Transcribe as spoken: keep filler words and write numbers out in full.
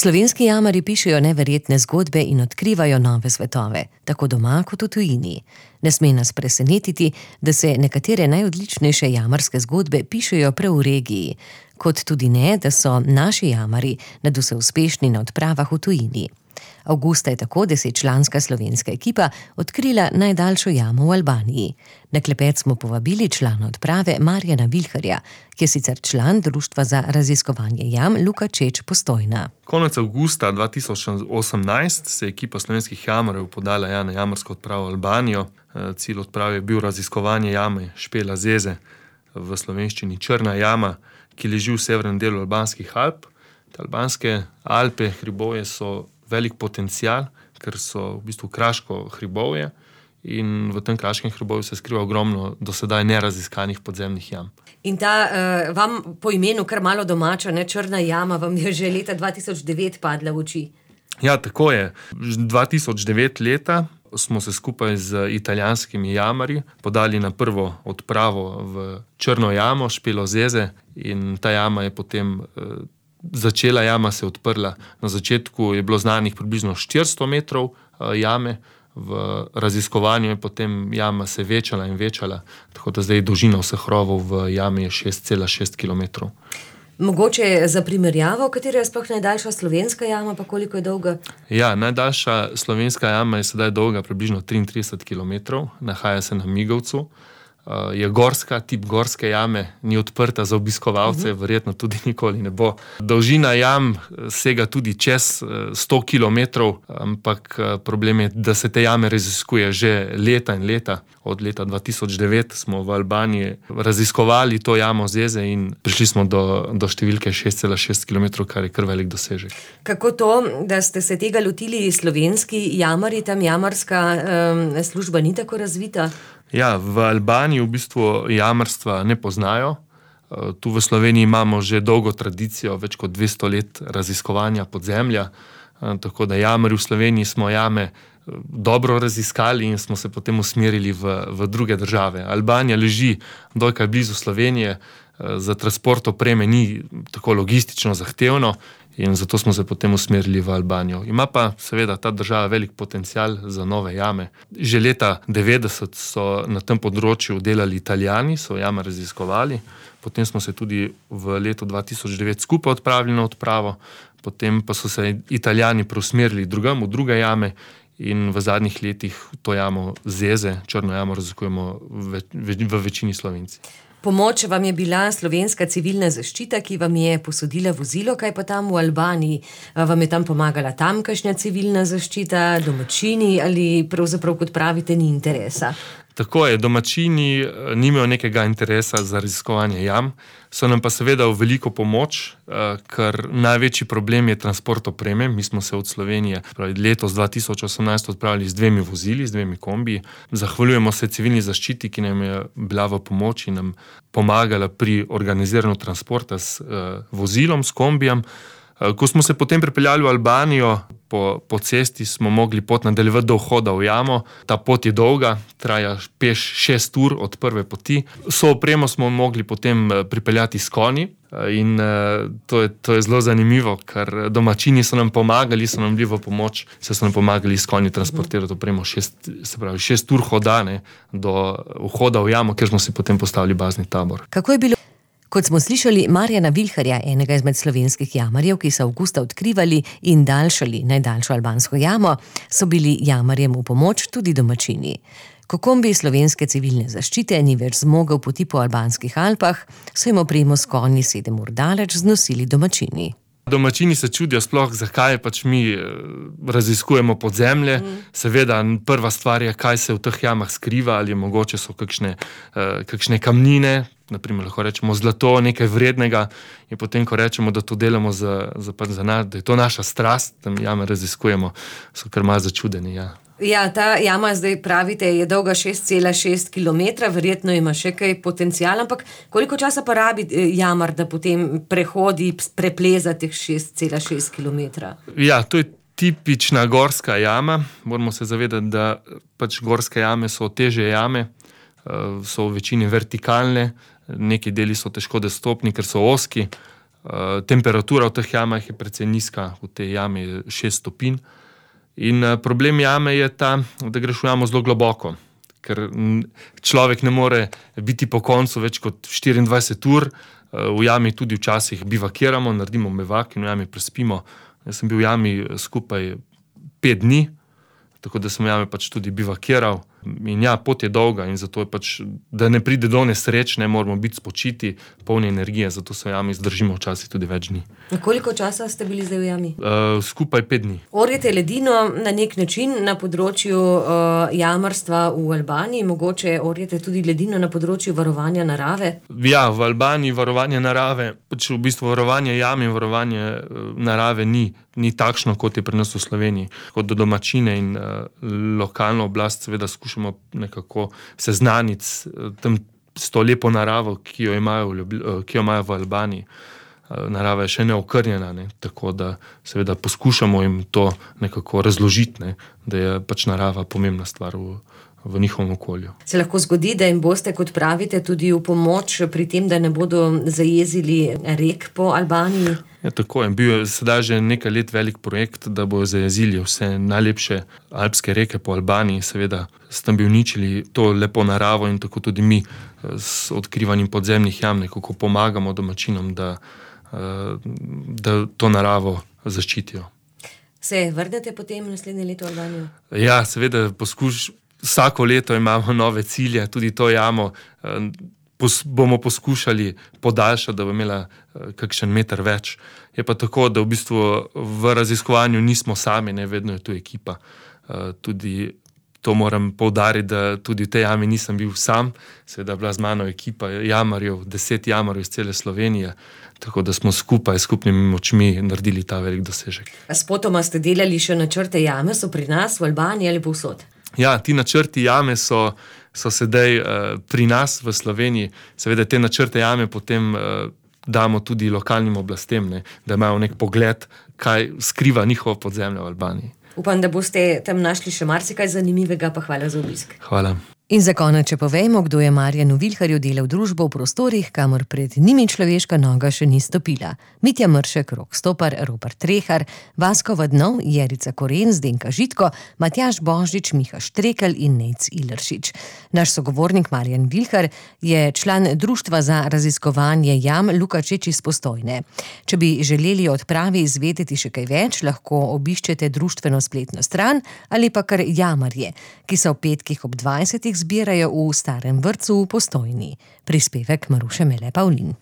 Slovenski jamarji pišejo neverjetne zgodbe in odkrivajo nove svetove, tako doma kot v tujini. Ne sme nas presenetiti, da se nekatere najodličnejše jamarske zgodbe pišejo prav v regiji, kot tudi ne, da so naši jamarji nadvse uspešni na odpravah v tujini. Avgusta je tako desetčlanska slovenska ekipa odkrila najdaljšo jamo v Albaniji. Na klepet smo povabili člana odprave Marjana Vilharja, ki je sicer član Društva za raziskovanje jam Luka Čeč Postojna. Konec avgusta dva tisoč osemnajst se je ekipa slovenskih jamarjev podala ja, na jamarsko odpravo v Albanijo. Cilj odprave je bil raziskovanje jame Špela Zeze, v slovenščini Črna jama, ki leži v severnem delu albanskih Alp. Te albanske Alpe, hribovje so velik potencial, ker so v bistvu kraško hribovje in v tem kraškem hribovju se skriva ogromno do sedaj neraziskanih podzemnih jam. In ta uh, vam po imenu kar malo domača, ne, Črna jama, vam je že leta dva tisoč devet padla v oči. Ja, tako je. dva tisoč devet leta smo se skupaj z italijanskimi jamarji podali na prvo odpravo v Črno jamo Špelo Zeze in ta jama je potem uh, Začela jama se je odprla. Na začetku je bilo znanih približno štiristo metrov jame, v raziskovanju je potem jama se večala in večala, tako da zdaj dolžina vseh rovov v jami je šest cela šest kilometrov. Mogoče za primerjavo, katera je sploh najdaljša slovenska jama, pa koliko je dolga? Ja, najdaljša slovenska jama je sedaj dolga približno triintrideset kilometrov, nahaja se na Migovcu. Je gorska, tip gorske jame, ni odprta za obiskovalce, uh-huh. verjetno tudi nikoli ne bo. Dolžina jam sega tudi čez sto kilometrov, ampak problem je, da se te jame raziskuje že leta in leta. Od leta dva tisoč devet smo v Albaniji raziskovali to jamo Zeze in prišli smo do, do številke šest cela šest kilometrov, kar je kar velik dosežek. Kako to, da ste se tega lotili slovenski jamarji, tam jamarska um, služba ni tako razvita? Ja, v Albaniji v bistvu jamarstva ne poznajo. Tu v Sloveniji imamo že dolgo tradicijo, več kot dvesto let raziskovanja podzemlja, tako da jamarji v Sloveniji smo jame dobro raziskali in smo se potem usmerili v, v druge države. Albanija leži dokaj blizu Slovenije, za transport opreme ni tako logistično zahtevno in zato smo se potem usmerili v Albanijo. Ima pa seveda ta država velik potencial za nove jame. Že leta devetdeset so na tem področju delali Italijani, so jame raziskovali, potem smo se tudi v letu dva tisoč devet skupaj odpravili na odpravo, potem pa so se Italijani preusmerili drugam, v druge jame in v zadnjih letih to jamo Zeze, Črno jamo raziskujemo v, v, v večini Slovenci. Pomoč vam je bila slovenska civilna zaščita, ki vam je posodila vozilo, kaj pa tam v Albaniji? Vam je tam pomagala tamkajšnja civilna zaščita, domačini ali pravzaprav, kot pravite, ni interesa? Tako je, domačini nimajo nekega interesa za raziskovanje jam, so nam pa seveda v veliko pomoč, ker največji problem je transport opreme. Mi smo se od Slovenije pravi, letos dva tisoč osemnajst odpravili z dvemi vozili, z dvemi kombiji. Zahvaljujemo se civilni zaščiti, ki nam je bila v pomoč in nam pomagala pri organiziranju transporta s uh, vozilom, s kombijem. Uh, ko smo se potem pripeljali v Albanijo, po, po cesti smo mogli pot nadaljevati do vhoda v jamo. Ta pot je dolga, traja peš šest ur od prve poti. So opremo smo mogli potem pripeljati s konji in uh, to, je, to je zelo zanimivo, ker domačini so nam pomagali, so nam bili v pomoč, se so nam pomagali s konji transportirati opremo šest, se pravi, šest ur hodane do vhoda v jamo, ker smo si potem postavili bazni tabor. Kako je bilo? Kot smo slišali Marjana Vilharja, enega izmed slovenskih jamarjev, ki so avgusta odkrivali in daljšali najdaljšo albansko jamo, so bili jamarjem v pomoč tudi domačini. Ko kombi slovenske civilne zaščite ni več zmogel poti po albanskih Alpah, so jim opremo s konji sedem ur daleč znosili domačini. Domačini se čudijo sploh, zakaj pač mi raziskujemo podzemlje. Mm. Seveda, prva stvar je, kaj se v teh jamah skriva, ali mogoče so kakšne, kakšne kamnine, naprimer lahko rečemo zlato, nekaj vrednega, in potem, ko rečemo, da to delamo za, za, za nas, da je to naša strast, da mi jame raziskujemo, so kar malo začudeni, ja. Ja, ta jama, zdaj pravite, je dolga šest cela šest kilometra, verjetno ima še kaj potenciala, ampak koliko časa pa rabi jamar, da potem prehodi, prepleza teh šest cela šest kilometra? Ja, to je tipična gorska jama. Moramo se zavedati, da pač gorske jame so težje jame, so v večini vertikalne, neki deli so težko dostopni, ker so ozki. temperatura v teh jamah je precej nizka, v tej jami je šest stopinj. In problem jame je ta, da greš v jamo zelo globoko, ker človek ne more biti po koncu več kot štiriindvajset ur. V jami tudi včasih bivakiramo, naredimo mevak in v jami prespimo. Jaz sem bil v jami skupaj pet dni, tako da sem v jami pač tudi bivakiral. In ja, pot je dolga in zato je pač, da ne pride do nesreč, ne moramo biti spočiti, polni energije, zato se v jami zdržimo včasih tudi več dni. Koliko časa ste bili zdaj v jami? Uh, skupaj pet dni. Orjete ledino na nek način na področju uh, jamarstva v Albaniji, mogoče orjete tudi ledino na področju varovanja narave? Ja, v Albaniji varovanje narave, pač v bistvu varovanje jam in varovanje uh, narave ni, ni takšno, kot je pri nas v Sloveniji. Kot do domačine in uh, lokalno oblast seveda skušamo nekako seznaniti s, tem, s to lepo naravo, ki jo imajo v, ki jo imajo v Albaniji. Narava je še neokrnjena, ne? Tako da seveda poskušamo jim to nekako razložiti, ne? Da je pač narava pomembna stvar v, v njihovem okolju. Se lahko zgodi, da jim boste, kot pravite, tudi v pomoč pri tem, da ne bodo zajezili rek po Albaniji? Ja, tako je. Bil je sedaj že nekaj let velik projekt, da bojo zajezili vse najlepše alpske reke po Albaniji, seveda s tem bi uničili to lepo naravo in tako tudi mi s odkrivanjem podzemnih jam nekako pomagamo domačinom, da, da to naravo zaščitijo. Se vrnete potem naslednje leto v Albanijo? Ja, seveda poskuš, vsako leto imamo nove cilje, tudi to jamo pos, bomo poskušali podaljšati, da bo imela kakšen meter več. Je pa tako, da v bistvu v raziskovanju nismo sami, ne, vedno je tu ekipa. Tudi to moram poudariti, da tudi v tej jami nisem bil sam, seveda bila z mano ekipa jamarjev, deset jamarjev iz cele Slovenije, tako da smo skupaj, skupnimi močmi naredili ta velik dosežek. Spotoma ste delali še načrte jame, so pri nas v Albaniji ali povsod? Ja, ti načrti jame so, so sedaj uh, pri nas v Sloveniji. Seveda te načrte jame potem uh, damo tudi lokalnim oblastem, ne, da imajo nek pogled, kaj skriva njihovo podzemlje v Albaniji. Upam, da boste tam našli še marsikaj zanimivega, pa hvala za obisk. Hvala. In za konec, če povejmo, kdo je Marjanu Vilharju delal družbo v prostorih, kamor pred njimi človeška noga še ni stopila. Mitja Mršek, Rok Stopar, Robert Trehar, Vasko Vadnov, Jerica Koren, Zdenka Žitko, Matjaž Božič, Miha Štrekelj in Nejc Ileršič. Naš sogovornik Marjan Vilhar je član Društva za raziskovanje jam Lukačič iz Postojne. Če bi želeli o odpravi izvedeti še kaj več, lahko obiščete društveno spletno stran ali pa kar jamarje, ki so v petkih ob dvajsetih zbirajo v starem vrtcu v Postojni. Prispevek Maruše Mele Pavlin.